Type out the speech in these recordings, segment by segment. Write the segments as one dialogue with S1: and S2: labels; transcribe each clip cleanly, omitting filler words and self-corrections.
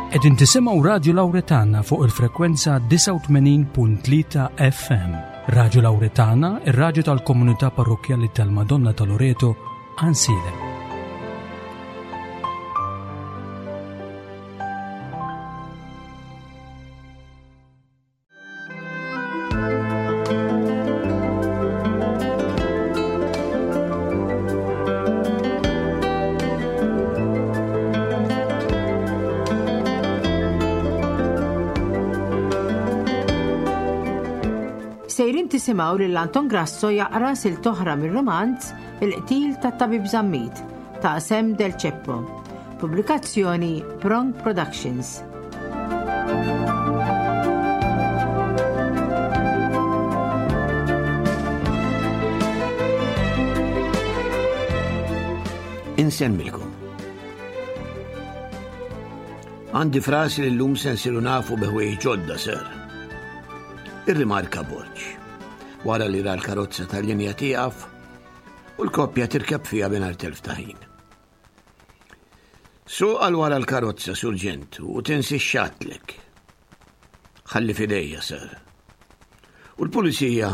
S1: Qegħdin tisimgħu Radju Lawretana fuq il-frekwenza 89.3 FM. Radju Lawretana, ir-radju tal-komunità parrokkjali tal-Madonna ta' Loreto, Ansiedem.
S2: Sejrin tisimgħu lil Anton Grasso jaqra sil toħra mir-romanz Il-qtil tat-Tabib Zammit ta' Sam Del Ceppo. Pubblikazzjoni Prong Productions.
S3: Insemmilkom. Għandi frasi li l-lum se nsiru nafu bi ħwejjeġ ġodda, sir. Irrimarka Borġ. Wara li ra l-karozza tal-linja tieqaf u l-koppja tirkeb fiha mingħajr telf ta' ħin. Suq għal wara l-karozza, Surġent, u tinsi x'għadtlek. Ħalli f'idejja, sir. U l-pulizija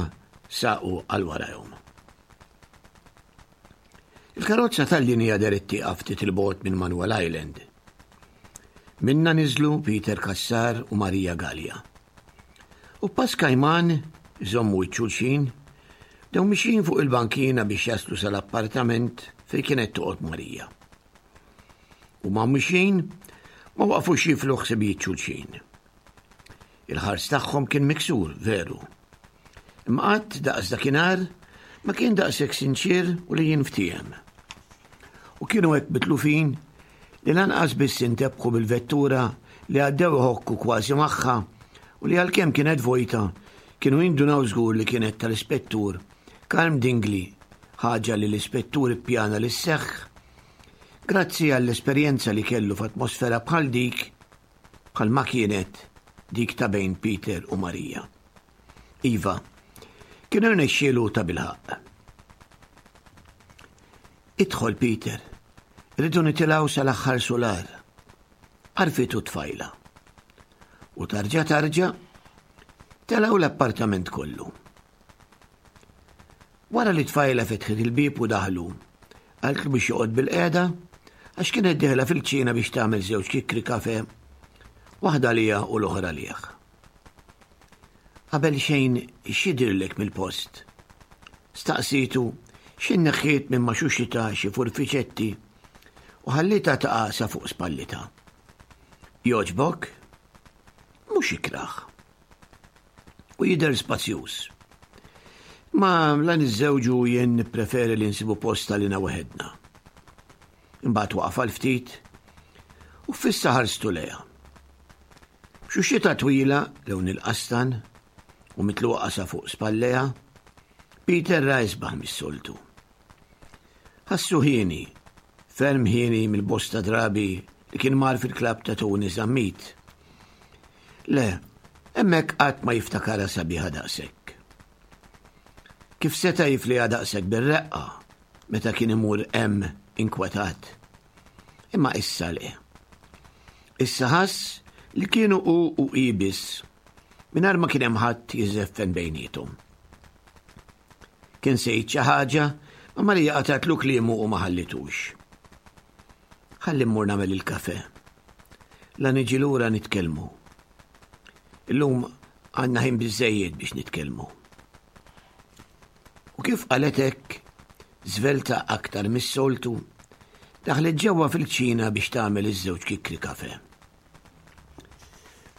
S3: saqu għal warajhom. Il-karozza tal-linja deret tieqaf ftit il-bogħod minn Manuel Island. Minna niżlu Peter Cassar u Maria Gallia. U pass kajman, iżommu wiċċ xulxin, bdew mixjin fuq il-bankina biex jaslu sal-appartament fejn kienet toqgħod Marija. U ma mixjin ma waqfux jiflu ħsibijiet xulxin. Il-ħars tagħhom kien miksur, veru. Imma qatt daqs dakinhar ma kien daqshekk sinċier u li jinftiehem. U kienu hekk mitlufin li lanqas biss intebħu bil-vettura li għaddew iħokku kważi magħha u li għalkemm kienet vojta, kienu jindunaw żgur li kienet tal-Ispettur Karm Dingli, ħaġa li l-Ispettur ippjana li sseħħ grazzi għall-esperjenza li kellu f'atmosfera bħal dik bħalma kienet dik ta' bejn Peter u Marija. Iva, kien irnexxielu tabilħaqq. Idħol Peter, irridu nitilgħu sal-aħħar sular. Għarfitu t-tfajla. U tarġa tarġa, telgħu l-appartament kollu. Wara li tfajla fetħet il-bieb u daħlu, qaltlu biex joqgħod bil-qiegħda għax kienet dieħla fil-kċina biex tagħmel żewġ kikri kafe, waħda għaliha u l-oħra għalih. Qabel xejn x'jidhirlek mill-post? Staqsietu xi neħħiet minn ma' xuxitha xi furfiċetti u ħallietha taqa' sa fuq spallitha. Jogħġbok? Mhux ikrah. U jidher spazjuż. Ma la niżżewġu jien nippreferi li nsibu post għalina waħedna. Imbagħad waqaf għal ftit u fissa ħarstu lejha. B'xuxxita twila lewn il-qastan u mitluqa sa fuq spallejha, Peter ra isbaħ mis-soltu. Ħassu hieni, ferm hieni mill-bosta drabi li kien mar fil-klabb ta' Tony Zammit. Le, hemmhekk qatt ma jiftakarha sabiħa daqshekk. Kif seta' jifliha daqshekk bir-reqqa meta kien imur hemm inkwetat? Imma issa le. Issa ħass li kienu hu u hi biss, mingħajr ma kien hemm ħadd jiżeffen bejniethom. Kien se jgħid xi ħaġa, ma Marija qatgħatlu kliemu u ma ħallitux. Ħalli mmur nagħmel il-kafe. La niġi lura nitkellmu. Illum għandna ħin biżejjed biex nitkellmu. U kif qalet hekk, żvelta aktar mis-soltu, daħlet ġewwa fil-kċina biex tagħmel iż-żewġ kikri kafe.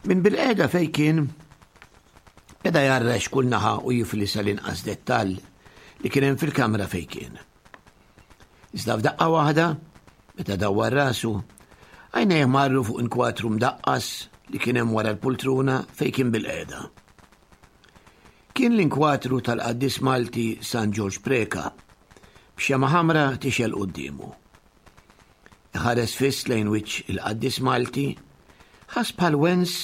S3: Minn bil-qeda fej kien, beda jarrex kull naħa u jifli sal-inqas dettall li kien hemm fil-kamra fej kien. Iżda f'daqqa waħda, meta dawwar rasu, għajnejh marru fuq inkwatru mdaqqas li kien hemm wara l-pultruna fej kien bil-qeda. Kien l-inkwatru tal-qaddis Malti San Ġorġ Preca, b'xemgħa ħamra tixgħel quddiemu. Iħares fiss lejn wiċċ il-qaddis Malti, ħass bħal wens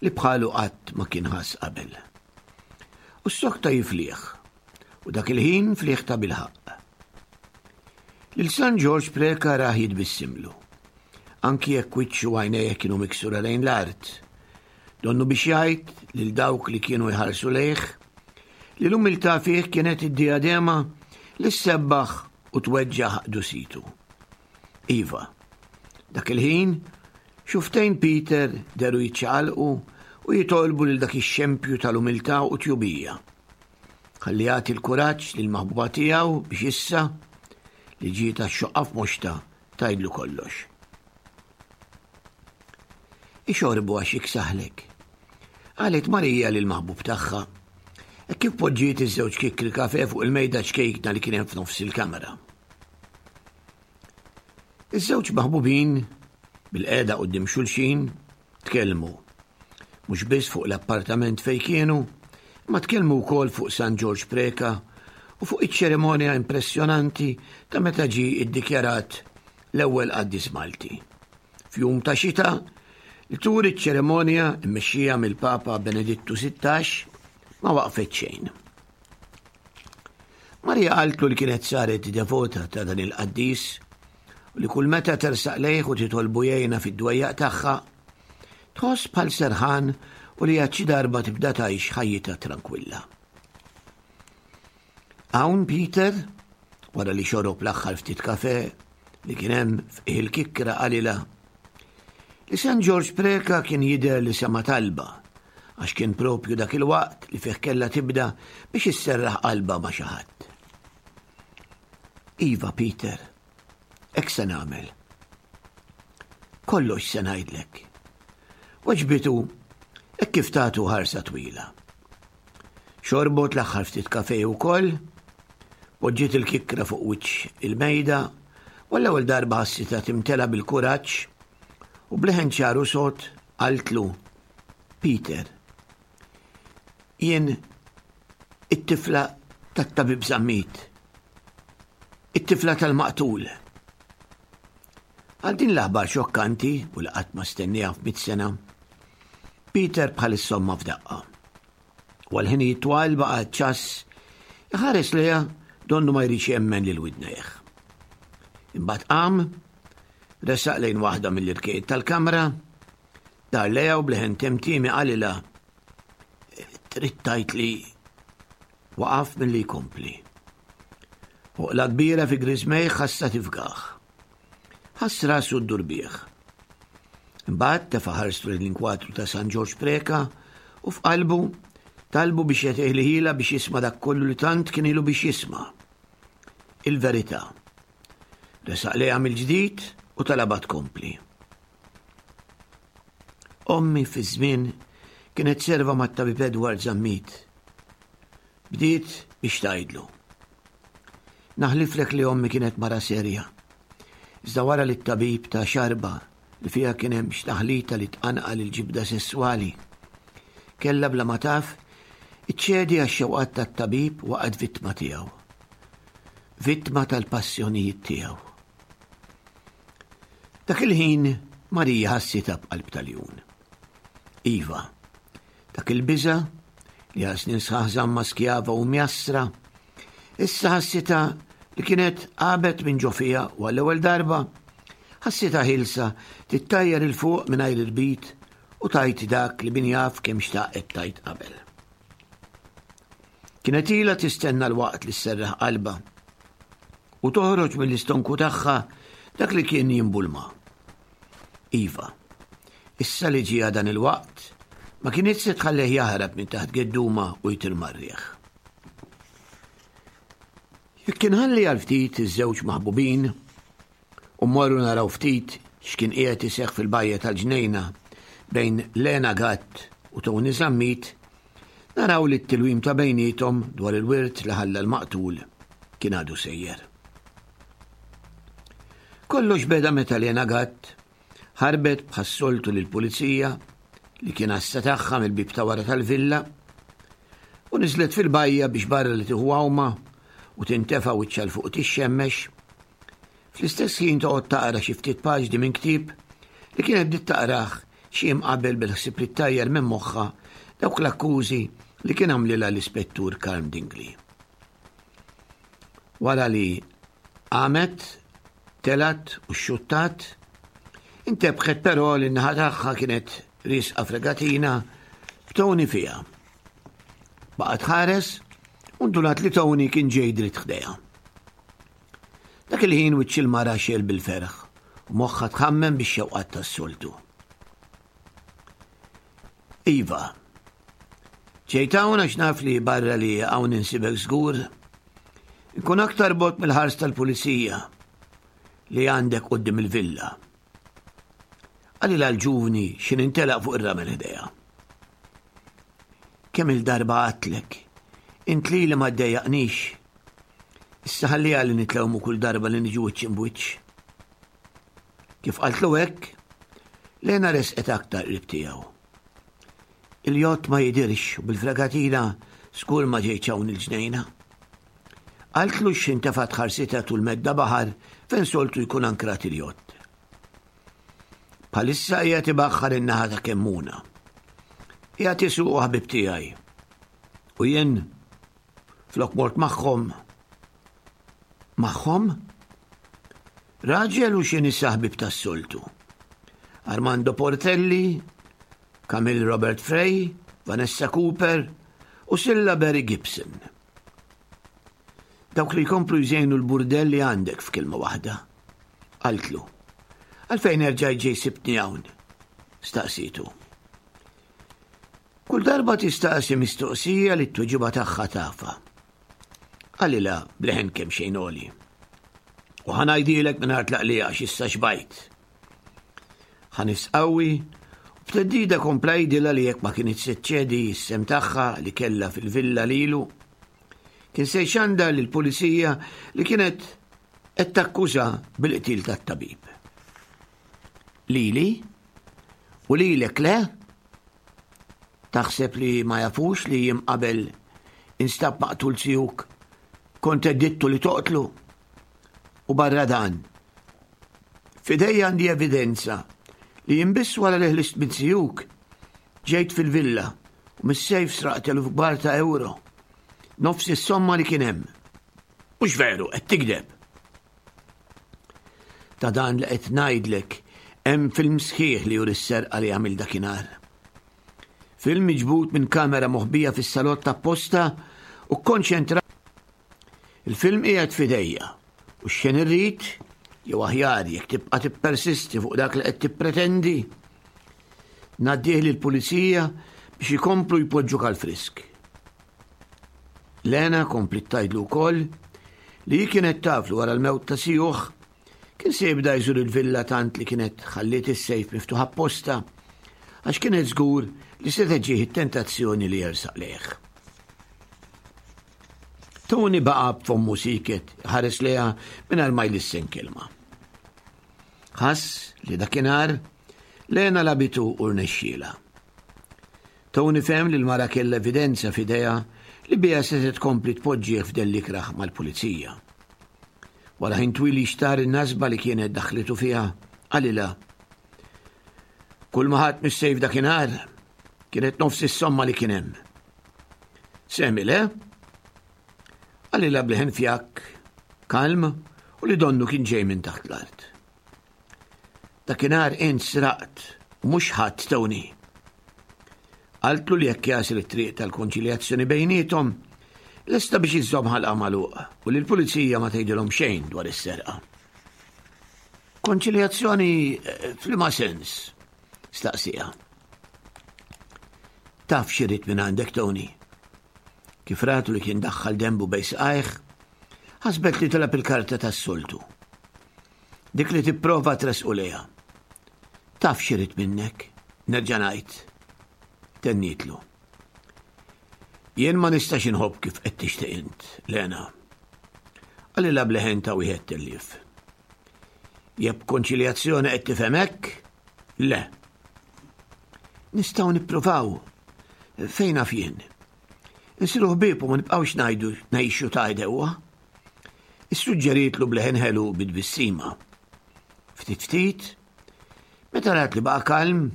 S3: li bħalu qatt ma kien ħass qabel. U ssokta jiflih, u dak il-ħin flih ta' bilħaqq. Lil San Ġorġ Preca rah jitbissimlu. anki jekk wiċċu u għajnejh kienu miksura lejn l-art. Donnu biex jgħid lil dawk li kienu jħarsu lejh li l-umiltà fih kienet id-diadema li ssebbaħ u tweġġaħ qdusitu. Iva, dak il-ħin, xuftejn Peter deru jiċċaqalqu u jitolbu lil dak ix-xempju tal-umiltà u tjubija. Ħalli jagħti l-kuraġġ lill-maħbuba tiegħu biex issa li ġiet għax-xoqqa f'moxtha tgħidlu kollox. Ixorbu għax jiksaħlek. Qalet Marija lil maħbub tagħha. Hekk kif poġġiet iż-żewġ kikkri kafe fuq il-mejda ċkejkna li kien hemm f'nofs il-kamra. Iż-żewġ maħbubin bil-qeda quddiem xulxin tkellmu. Mhux biss fuq l-appartament fejn kienu, imma tkellmu wkoll fuq San Ġorġ Preca u fuq iċ-ċerimonja impressjonanti ta' meta ġie iddikjarat l-ewwel qaddis Malti. F'jum ta' xita li turi ċ-ċerimonja mmexxija mill-Papa Benedittu 16 ma waqfet xejn. Marija qaltlu li kienet saret devota ta' dan il-qaddis u li kull meta tersaq lejh u titolbu jgħinha fid-dwejjaq tagħha, tħoss bħal serħan u li għad xi darba tibda tgħix ħajjitha trankwilla. Hawn Peter, wara li xorob l-aħħar ftit kafe li kien hemm f'qiegħ il-kikkra qalilha li San Ġorġ Preca kien jidher li sema' talba għax kien propju dak il-waqt li fih kellha tibda biex isserraħ qalbha ma' xi ħadd. Iva, Peter, hekk se nagħmel. Kollox se ngħidlek. Weġbitu hekk kif tagħtu ħarsa twila. Xorbot l-aħħar ftit kafe wkoll, poġġiet il-kikkra fuq wiċċ il-mejda, u l-ewwel darba ħassitha timtela bil-kuraġġ u bleħen ċar u sod qaltlu Peter, jien it-tifla tat-tabib Zammit, it-tifla tal-maqtul. Għal din l-aħbar xokkanti u li qatt ma stenniha f'mit sena, Peter bħal is-somma f'daqqa. U għal ħinijiet twal baqa' ċass iħares lejha donnu ma jridx jemmen lil widnejh. Imbagħad qam, resaq lejn waħda mill-irkejt tal-kamra, dar lejha u bleħen temtiemi qalilha trid tgħid li waqaf milli jkompli. Oqla kbira fi griżmejh ħassa tifgaħ. Ħass rasu ddur bih. Imbagħad tefa' ħarstu lejn l-inkwatru ta' San Ġorġ Preca u f'qalbu talbu biex jagħtih ħila biex jisma' dak kollu li tant kien ilu biex jisma'. Il-verità. Resaq lejha mill-ġdid u talabha tkompli. Ommi fi żmien kienet serva mat-tabib Edward Zammit. Bdiet biex tgħidlu. Naħliflek li ommi kienet mara serja. Iżda wara li t-tabib ta xarba li fiha kien hemm x'taħlita li tqanqal il-ġibda sesswali. Kellha bla ma taf iċċedi għax-xewqat tat-tabib waqgħet vittma tiegħu. Vittma tal-passjonijiet tiegħu. Dak il-ħin Marija ħassitha b'qalb tal-jun. Iva, Dak il-biża' li għal snin sħaħ żamma skjava u mjassra, issa ħassitha li kienet għabet minn ġo fiha u għall-ewwel darba ħassitha ħielsa tittajjar 'il fuq mingħajr irbit u tgħid dak li min jaf kemm xtaqet tgħid qabel. Kienet ilha tistenna l-waqt li sserraħ qalbha u toħroġ mill-istonku tagħha dak li kien jimbulma. Iva, issa li ġieha dan il-waqt, ma kinitx se tħallih jaħrab minn taħt gedduma u jtir mar-riħ. Jekk inħalli għal ftit iż-żewġ maħbubin u mmorru naraw ftit x'kien qiegħed iseħħ fil-bajja tal-ġnejna bejn Lena Gatt u Tony Zammit, naraw li t-tilwim ta' bejniethom dwar il-wirt li ħalla l-maqtul kien għadu sejjer. Kollox beda meta Lena Gatt ħarbet bħas-soltu lill-pulizija li kien għassa tagħha mill-bieb ta' wara tal-villa u niżlet fil-bajja biex barra li tieħu għawma u tintefa' wiċċha 'l fuq tixxemmex, fl-istess ħin toqgħod taqra xi ftit paġni minn ktieb li kienet bdiet taqrah xi jiem qabel bil-ħsieb li ttajjar minn moħħha dawk l-akkużi li kien għamlilha l-Ispettur Karm Dingli. Wara li qamet, telgħet u xxuttat, Intebħet però li n-naħa tagħha kienet riesqa fregatina b'Tony fiha. Baqgħet ħares u ndunat li Tony kien ġej dritt ħdejha. Dak il-ħin wiċċ il-mara xel bil-ferħ u moħħha tħammem bix-xewqat tas-soltu. Iva, ġejt hawn għax naf li barra li hawn insibek żgur, nkun aktar bot mill-ħars tal-pulizija li għandek quddiem il-villa. Qalilha l-ġuvni x'in intelaq fuq ir-ramel ħdejha. Kemm il-darba għadtlek, int lili ma ddejjaqnix. Issa ħalliha li nitlewmu kull darba li niġu wiċċ imbwiċċ. Kif qaltlu hekk, Lena resqet aktar qrib tiegħu. Il-jott ma jidirx u bil-fregatina skur ma ġejtx hawn il-ġnejna. Qaltlu x'ħin tefgħet ħarsitha tul medda baħar fejn soltu jkun ankrat il-jott. Bħalissa qiegħed ibaħħar in-naħa ta' Kemmuna. Qiegħed isuqu ħabib tiegħi. U jien flok mort magħhom magħhom raġel u xi nisa ħbib tas-soltu. Armando Portelli, Camille Robert Frey, Vanessa Cooper u Silla Barry Gibson. Dawk li jkomplu jżejnu l-burdell li għandek f'kelma waħda. Qaltlu. Għalfejn erġajt ġej sibtni hawn? Staqsitu. Kull darba tistaqsi mistoqsija li t-tweġiba tagħha tafa. Qalilha bleħen kemm xejn għoli. U ħa ngħidilek mingħajr tlaqliqa għax issa xbajt. Ħanis qawwi u b'teddida kompla jgħidilha li jekk ma kinitx se ċċedi s-sehem tagħha li kellha fil-villa lilu, kien se jxandar lill-pulizija li kienet qed takkuża bil-qtil tat-tabib. Lili? U lilek le? Taħseb li ma jafux li jiem qabel instab maqtul zijuk kont għeddidtu li toqtlu? U barra dan, f'idejja għandi evidenza li jien biss wara li ħlist minn zijuk ġejt fil-villa u mis-sejf sraqt eluf kbar ta' euro. Nofs is-somma li kien hemm. Mhux veru, qed tigdeb. Ta' dan li qed ngħidlek hemm film sħiħ li juri s-serqa li għamil dakinhar. Film miġbud minn kamera moħbija fis-salott apposta u kkonċentrat Il-film qiegħed f'idejja u x'xejn irrid, jew aħjar jekk tibqa' tippersisti fuq dak li qed tippretendi, ngħaddih lill-pulizija biex ikomplu jpoġġuk għall-frisk. Lena kompliet tgħidlu wkoll li hi kienet taf li wara l-mewt ta' sijuh kien se jibda jżur il-villa tant li kienet ħalliet is-sejf miftuħ apposta għax kienet żgur li se teġġih it-tentazzjoni li jersaq lejh. Tony baqa' b'fommu sieket iħares lejha mingħajr ma jlissen kelma. Ħass li dakinhar Lena labitu u rnexxielha. Tony fehem li l-mara kellha evidenza f'idejha li biha setgħet tkompli tpoġġih f'dell ikrah mal-pulizija. Wara ħin twil jixtar in-nasba li kienet daħlitu fiha, qalilha Kull ma ħadt mis-sejf dakinhar kienet nofs is-somma li kien hemm. Semi le? Qalilha b'leħen fjakk, kalm u li donnu kien ġej minn taħt l-art. Dakinhar int sraqt u mhux ħadd Tony. Qaltlu li jekk jasel it-triq tal-konċiljazzjoni bejniethom, lesta biex iżżomm ħalqa magħluq u li l-pulizija ma tgħidilhom xejn dwar is-serqa. Konċiljazzjoni eh, f'liema sens? Staqsija. Taf x'irid minn għandek Tony. Kif ratu li kien daħħal dembu bej saqajh, ħasbet li tilab il-karta tas-soltu. Dik li tipprova tresqu lejha. Taf x'irid minnek, nerġa' ngħid. Tennitlu. Jien ma nistax inħobb kif qed tixtieq int, Lena. Qalilha b'leħen ta' wieħed tellief. Jekk konċiljazzjoni qed tifhem hekk, le. Nistgħu nippruvaw fejn naf jien. Insiru ħbieb u ma nibqgħux ngħidu ngħixu ta' idewwa. Issuġġerietlu b'leħen ħelu bit-tbissima. Ftit ftit, meta rat li baqa' kalm,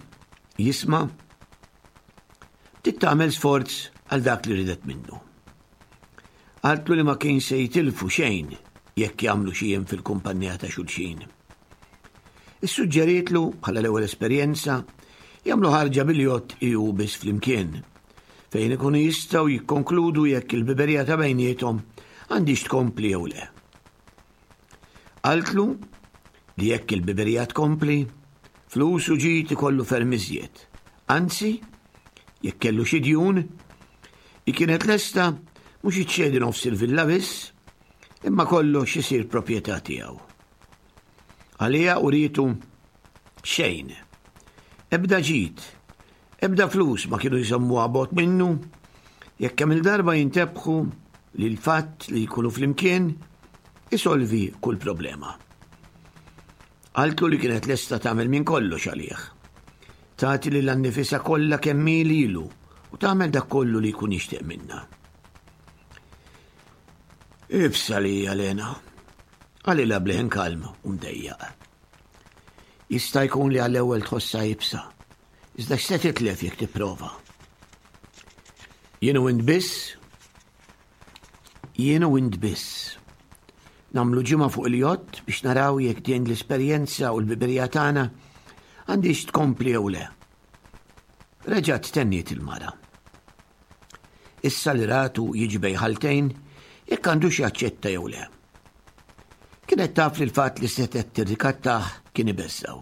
S3: jisma' bdiet tagħmel sforz għal dak li ridet minnu. Qaltlu li ma kien se jitilfu xejn jekk jagħmlu xi jiem fil-kumpanija ta' xulxin. Issuġġerietlu, bħala l-ewwel esperjenza, jagħmlu ħarġa bil-jott hi u biss flimkien, fejn ikunu jistgħu jikkonkludu jekk il-biberija ta' bejniethom għandhiex tkompli jew le. Qaltlu li jekk il-biberija tkompli, flus u ġid ikollu ferm iżjed. Anzi, jekk kellu xi djun, hi kienet lesta mhux iċċedi nofs il-villa biss, imma kollox isir proprjetà tiegħu. Għaliha urietu xejn. Ebda ġid, ebda flus ma kienu jżommuha bogħod minnu, jekk kemm il-darba jintebħu li l-fatt li jkunu flimkien isolvi kull problema. Qaltlu li kienet lesta tagħmel minn kollox għalih. Tagħti lil annifisha kollha kemm hi lilu u tagħmel dak kollu li jkun jixtieq minnha. Ibsa li hija Lena, qalilha b'leħen kalm u mdejjaq. Jista' jkun li għall-ewwel tħossha ibsa, iżda x'se titlef jekk tipprova? Jien u int biss, jien u int biss. Nagħmlu ġimgħa fuq il-jott biex naraw jekk din l-esperjenza u l-biberija tagħna għandix tkompli jew le. Reġgħet tenniet il-mara. Issa li ratu jiġi bejn ħaltejn jekk għandux jaċċetta jew le. Kienet taf li l-fatt li setgħet tirrikattah kien ibeżżgħu.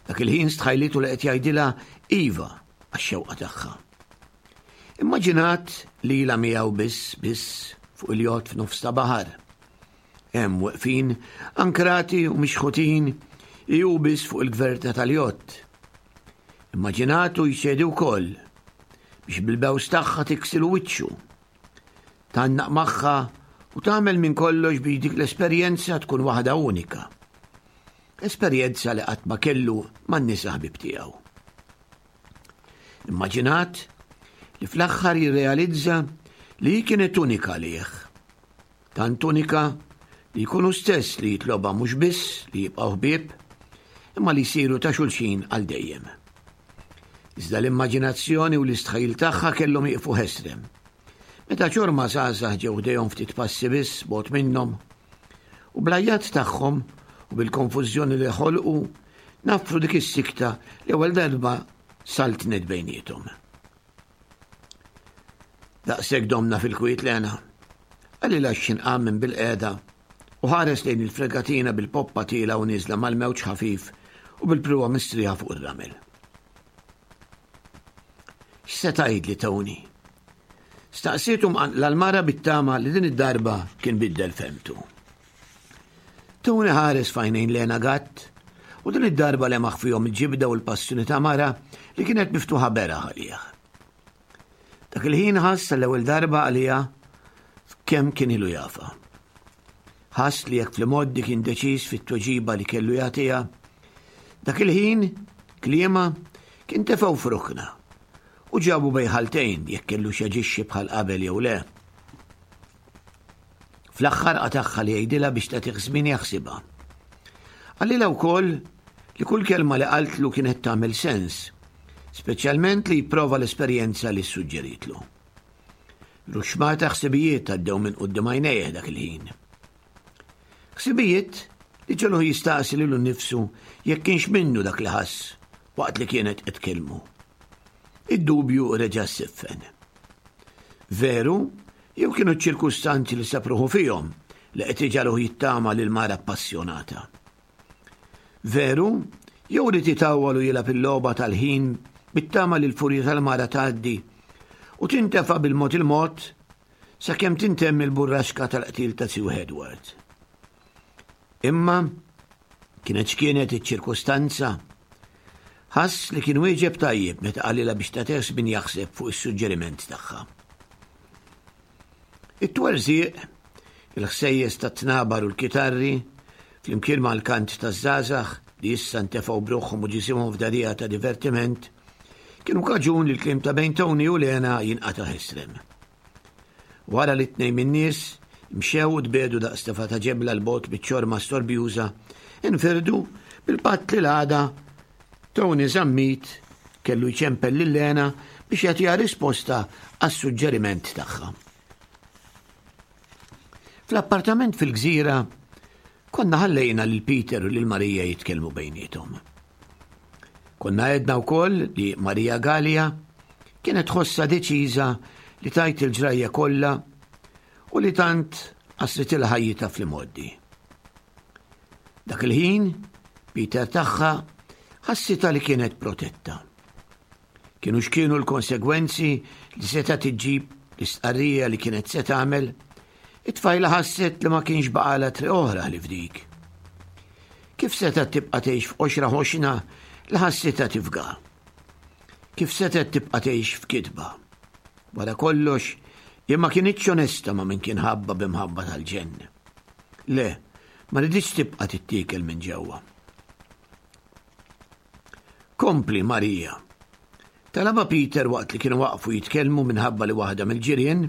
S3: Dak il-ħin stħajlitu li qed jgħidilha iva għax-xewqa tagħha. Immaġinat li ilha miegħu biss biss fuq il-jott f'nofs ta' baħar. Hemm weqfin, ankrati u mixħutin, hi hu biss fuq il-gverta tal-jott. Immaġinatu jċedi wkoll biex bil-bews tagħha tiksilu wiċċu. Tgħannaq magħha u tagħmel minn kollox biex dik l-esperjenza tkun waħda unika. Esperjenza li qatt ma kellu man-nisa ħbib tiegħu. Immaġinat li fl-aħħar jirrealizza li hi kienet unika għalih. Tant unika li jkun hu stess li jitlobha mhux biss li jibqgħu ħbieb, imma li jsiru ta' xulxin għal dejjem. Iżda l-immaġinazzjoni u l-istħajjil tagħha kellhom jieqfu ħesrem. Meta ċorma żgħażagħ ġew ħdejhom ftit passi biss bogħod minnhom, u bl-għajjat tagħhom u bil-konfużjoni li ħolqu naffru dik is-sikta li ewwel darba saltnet bejniethom. Daqshekk domna fil-kwiet Lena. Qalilha x'xin qam minn bilqiegħda u ħares lejn il-fregatina bil-poppa tielgħa u nieżla mal-mewġ ħafif u bil-pruwa mistrieħa fuq ir-ramel. X'se tgħidli Tony? Staqsietu mqanqla l-mara bit-tama li din id-darba kien biddel femtu. Tony ħares f'għajnejn Lena Gatt u din id-darba lemaħ fihom il-ġibda u l-passjoni ta' mara li kienet miftuħa beraħ għalih. Dak il-ħin ħass l-ewwel darba għaliha kemm kien ilu jafa. Ħass li jekk fl-imoddi kien deċiż fit-tweġiba li kellu jagħtiha, dak il-ħin kliema kien tefgħu f'rukna u ġabu bejħaltejn jekk kellu xaġixxi bħal qabel jew le. Fl-aħħar qatagħha li jgħidilha biex tagħtih żmien jaħsibha. Qalilha wkoll li kull kelma li qaltlu kienet tagħmel sens, speċjalment li jipprova l-esperjenza li ssuġġeritlu. Ruxmata ħsibijiet għaddew minn quddiem għajnejh dak il-ħin. Ħsibijiet li ġeluh jistaqsi lilu nnifsu jekk kienx minnu dak li ħass waqt li kienet qed tkellmu. Id-dubju reġa' ssiffen. Veru Jew kienu ċ-ċirkustanzi li sab ruħu fihom li qed iġagħluh jittama lil mara appassjonata? Veru, jew ried itawwal u jilgħab il-logħba tal-ħin bit-tama li l-furja tal-mara tgħaddi u tintefa' bil-mod il-mod sakemm tintemm il-burraxka tal-qtil ta' Sue Edward. Imma kienet x'kienet iċ-ċirkustanza, ħass li kien wieġeb tajjeb meta qalilha biex tagħtih żmien jaħseb fuq is-suġġeriment tagħha. It-twerżiq, il-ħsejjes tat-tnabar u l-kitarri, flimkien mal-kant taż-żgħażagħ li issa ntefgħu b'ruħhom u ġisimhom f'dagħdigħa ta' divertiment, kienu kaġun li l-kliem ta' bejn Tony u Lena jinqata' ħesrem. Wara li t-tnejn min-nies mxew u tbiegħdu daqs tefgħa ta' ġebla 'l bogħod miċ-ċorma storbjuża, infirdu bil-patt li l-għada Tony Zammit kellu jċempel lil Lena biex jagħtiha risposta għas-suġġeriment tagħha. Fl-appartament fil-gżira, konna ħallejna lil Peter u lil Marija jitkellmu bejniethom. Konna għedna wkoll li Marija Galea kienet tħossha deċiża li tgħid il-ġrajja kollha u li tant qasritilha ħajjitha fl-imgħoddi. Dak il-ħin, Peter tagħha ħassitha li kienet protetta. Kienu x'kienu l-konsegwenzi li setgħet iġġib l-istqarrija li kienet se tagħmel, it-tfajla ħasset li ma kienx baqalha triq oħra ħlief dik. Kif setgħet tibqa' tgħix f'qoxra ħoxna li ħassitha tifga? Kif setgħet tibqa' tgħix f'kitba? Wara kollox, hi ma kinitx onesta ma' min kien ħabbha b'imħabba tal-ġenn. Le, ma riditx tibqa' tittiekel minn ġewwa. Kompli, Marija. Talabha Peter waqt li kienu waqfu jitkellmu minħabba li waħda mill-ġirien,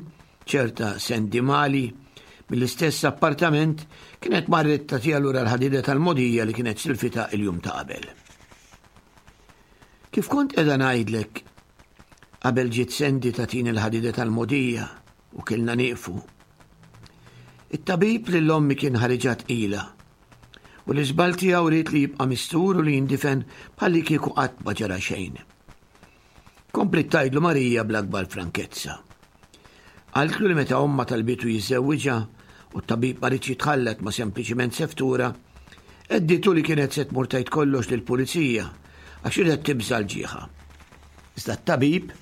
S3: ċerta Sandy Mali, mill-istess appartament, kienet marret tagħtiha lura l-ħadida tal-mogħdija li kienet silfitha il-jum ta' qabel. Kif kont qiegħda ngħidlek, qabel ġiet Sandy tagħtini l-ħadida tal-mogħdija u kellna nieqfu. It-tabib lil ommi kien ħariġha tqila U l-iżball tiegħu ried li jibqa' mistur u li jindifen bħallikieku qatt ma ġara xejn. Kompliet tgħidlu Marija bl-akbar frankezza. Qaltlu li meta ommha talbitu jiżżewwiġha u t-tabib ma riedx jitħallat ma' sempliċiment seftura, għedditu li kienet se tmur tgħid kollox lill-pulizija għax riedet tibża' l-ġieħa. Iżda t-tabib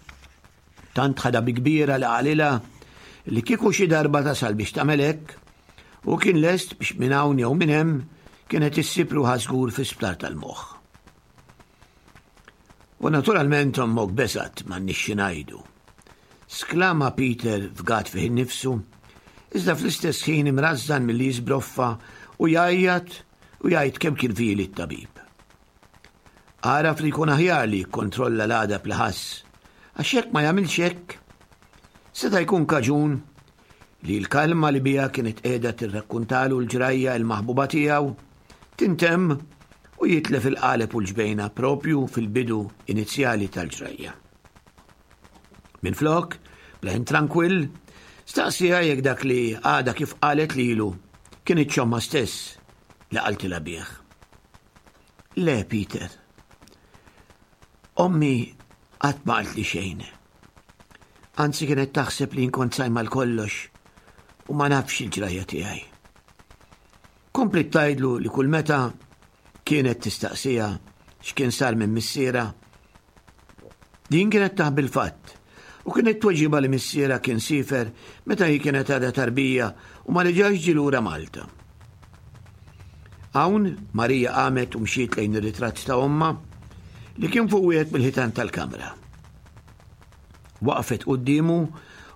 S3: Tant ħadha bi kbira li qalilha li kieku xi darba tasal biex tagħmel hekk, hu kien lest biex minn hawn jew minn hemm kienet issib ruħha żgur fi sptar tal-moħħ. U naturalment ommok beżgħet m'għandniex xi ngħidu. Sklama Peter fgat fih innifsu, iżda fl-istess ħin imrażżan milli jiżbroffa u jgħajjat u jgħid kemm kien vili t-tabib. Għaraf li jkun aħjar li jikkontrolla l-għadab li ħass, għax jekk ma jagħmilx hekk, seta' jkun kaġun li l-kalma li biha kienet qiegħda tirrakkuntalu l-ġrajja il-maħbuba tiegħu tintemm u jitlef il-qaleb u l-ġbejna propju fil-bidu inizjali tal-ġrajja. Minflok, b'leħen trankwill, staqsieha jekk dak li għadha kif qalet lilu kien ommha stess li qaltilha bih. Le, Peter. Ommi qatt ma qaltli xejn. Anzi kienet taħseb li nkont sajma l-kollox u ma nafx il-ġrajja tiegħi. Kompliet tgħidlu li kull meta kienet tistaqsija x'kien sar minn missiera, din kienet taħbi l-fatt u kienet tweġiba li missiera kien sifer meta hi kienet għadha tarbija u ma reġax ġie lura Malta. Hawn Marija qamet u mxiet lejn ir-ritratt ta' ommha li kien fuq wieħed mill-ħitan tal-kamra. Waqfet quddiemu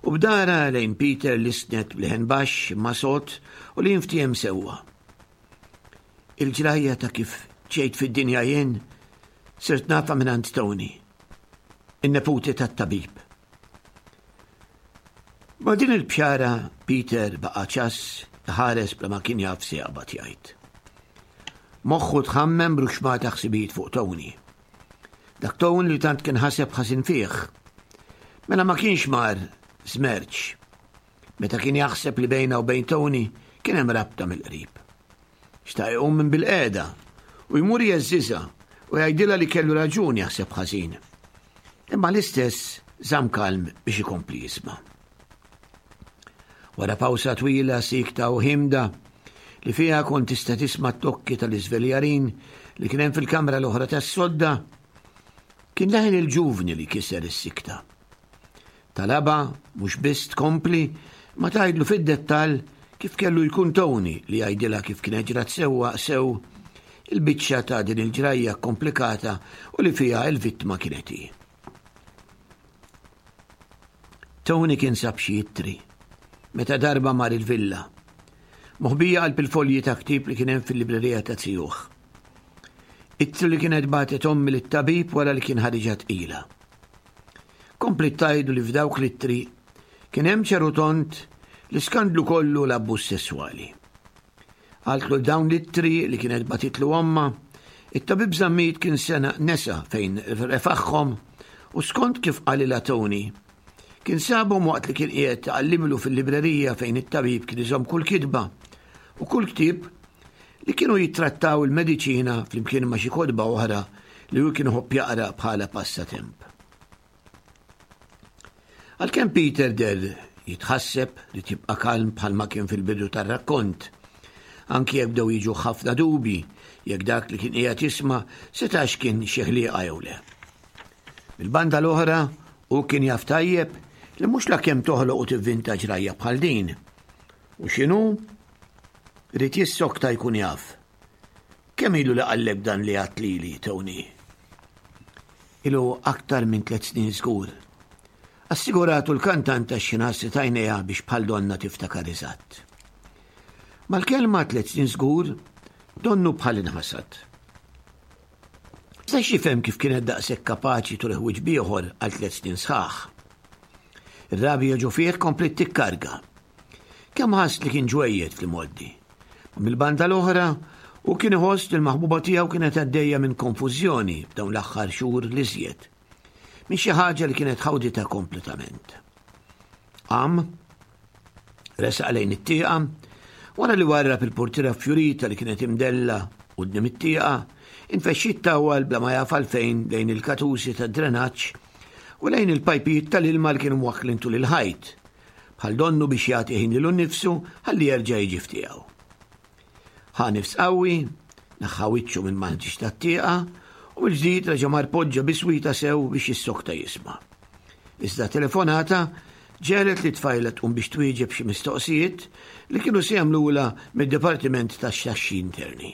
S3: u b'dara lejn Peter lissnet b'leħen baxx imma sod u li jinftiehem sewwa. Il-ġrajja ta' kif ġejt fid-dinja jien sirt nafha mingħand Tony, in-neputi tat-tabib. Ma' din il-bxara Peter baqa' ċass iħares bla ma kien jaf se jaqbad jgħid. Moħħu tħammem b'ruxmata ħsibijiet fuq Tony. Dak Tony li tant kien ħaseb ħażin fih. Mela ma kienx mar żmerċ. Meta kien jaħseb li bejna u bejn Tony kien hemm rabta mill-qrib. Xtaq iqum minn bilqiegħda u jmur jgħeżżiżha u jgħidilha li kellu raġun jaħseb ħażin. Imma l-istess żamm kalm biex ikompli jisma'. Wara pawsa twila, sikta u ħimda, li fiha kont tista' tisma' t-tokki tal-iżveljarin li kien hemm fil-kamra l-oħra tas-sodda, kien leħen il-ġuvni li kiser is-sikta. Talabha mhux biss tkompli, imma tgħidlu fid-dettall kif kellu jkun Tony li jgħidilha kif kienet ġrat sewwa sew il-biċċa ta' din il-ġrajja kkomplikata u li fiha l-vittma kienet hi. Tony kien sab xi ittri meta darba mar il-villa, moħbija qalb il-folji ta' ktieb li kien hemm fil-librerija ta' zijuh. Ittri li kienet bagħtet ommi lit-tabib wara li kien ħariġha tqila. Kompliet tgħidlu li f'dawk l-ittri kien hemm ċar u tond l-iskandlu kollu u l-abbuż sesswali. Qaltlu li dawn l-ittri li kienet bagħtitlu ommha, it-tabib Zammit kien sena nesa fejn refaħħom u skont kif qalilha Tony, kien sabhom waqt li kien qiegħed iqallimlu fil-librerija fejn it-tabib kien iżomm kull kitba u kull ktieb. li kienu jittrattaw il-mediċina flimkien ma' xi kotba oħra li hu kien iħobb jaqra bħala passatemp. Għalkemm Peter deher jitħasseb li tibqa' kalm bħalma kien fil-bidu tar-rakkont, anki jekk bdew jiġuh ħafna dubji jekk dak li kien qiegħed jisma' setax kien xi ħlieqa jew le. Mill-banda l-oħra, hu kien jaf tajjeb li mhux lakemm toħloq u tivvinta ġrajja bħal din. U x'inhu? Ried jissokta jkun jaf. Kemm ilu li qallek dan li għedt lili, Tony? Ilu aktar minn tlett snin żgur. Assiguratu l-kantanta x'ħin ħasset għajnejha biex bħal donna tiftakar eżatt. Mal-kelma tlett snin żgur, donnu bħal inħasad. Setax jifhem kif kienet daqshekk kapaċi turih wiċċ b'ieħor għal tlett snin sħaħ. Ir-rabja ġo fih kompliet tikkarga. Kemm ħass li kien ġwejjed fl-imgħoddi. Ma mill-banda l-oħra, hu kien iħoss li l-maħbuba tiegħu kienet għaddejja minn konfużjoni f'dawn l-aħħar xhur l-iżjed. Minn xi ħaġa li kienet ħawditha kompletament. Qam, resaq lejn it-tieqa, wara li warrab il-portiera fjurita li kienet imdella quddiem it-tieqa, infexx jittawwal bla ma jaf għalfejn lejn il-katusi tad-drenaġġ u lejn il-pajpijiet tal-ilma li kienu mwaħħlin tul il-ħajt, bħal donnu biex jagħti ħin lilu nnifsu ħalli jerġa' jiġi f'tiegħu. Ħa nifs qawwi, neħħa wiċċu minn mal-ħġieġ tat-tieqa u mill-ġdid reġa' mar poġġa biswita sew biex jissokta jisma'. Iżda telefonata ġegħlet lit-tfajla tqum biex twieġeb xi mistoqsijiet li kienu se jagħmlulha mid-Dipartiment tax-Xaxxi Interni.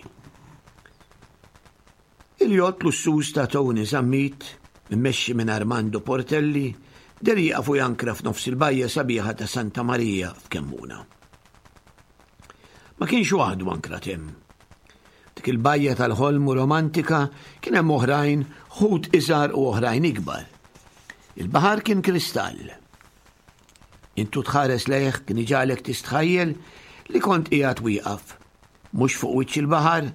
S3: Il-jott lussuż ta' Tony Zammit, immexxi minn Armando Portelli, deher jieqaf u jankra f'nofs il-bajja sabiħa ta' Santa Marija f'Kemmuna. Ma kienx waħdu ankrat hemm. Dik il-bajja tal-ħolm u romantika kien hemm oħrajn, ħut iżgħar u oħrajn ikbar. Il-baħar kien kristall. Intu tħares lejh kien iġagħlek tistħajjel li kont qiegħed wieqaf, mhux fuq wiċċ il-baħar,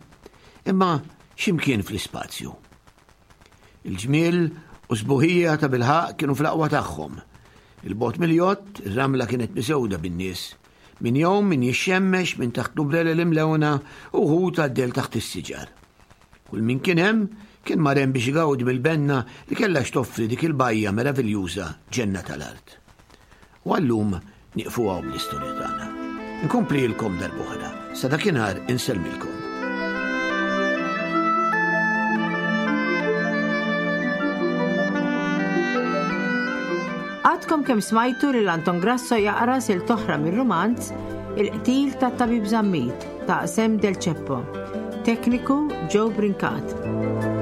S3: imma x'imkien fl-ispazju. Il-ġmiel u sbuħija ta' bilħaq kienu fl-aqwa tagħhom. Il-bot mill-jott, ir-ramla kienet miżewda bin-nies. Min jgħum, min jixxemmex, min taħt l-umbrelel imlewna u wħud għaddel taħt is-siġar. Kull min kien hemm kien mar hemm biex igawdi mill-benna li kellha x'toffri dik il-bajja meraviljuża ġenna tal-art. U għal-lum nieqfu hawn bl-istorja tagħna. Inkomplilkom darb'oħra. Sa dakinhar insellmilkom.
S2: Għadkom kemm smajtu lil Anton Grasso jaqra silt oħra mir-rumanz Il-qtil tat-Tabib Zammit ta' Sem Del Ceppo. Tekniku Joe Brincat.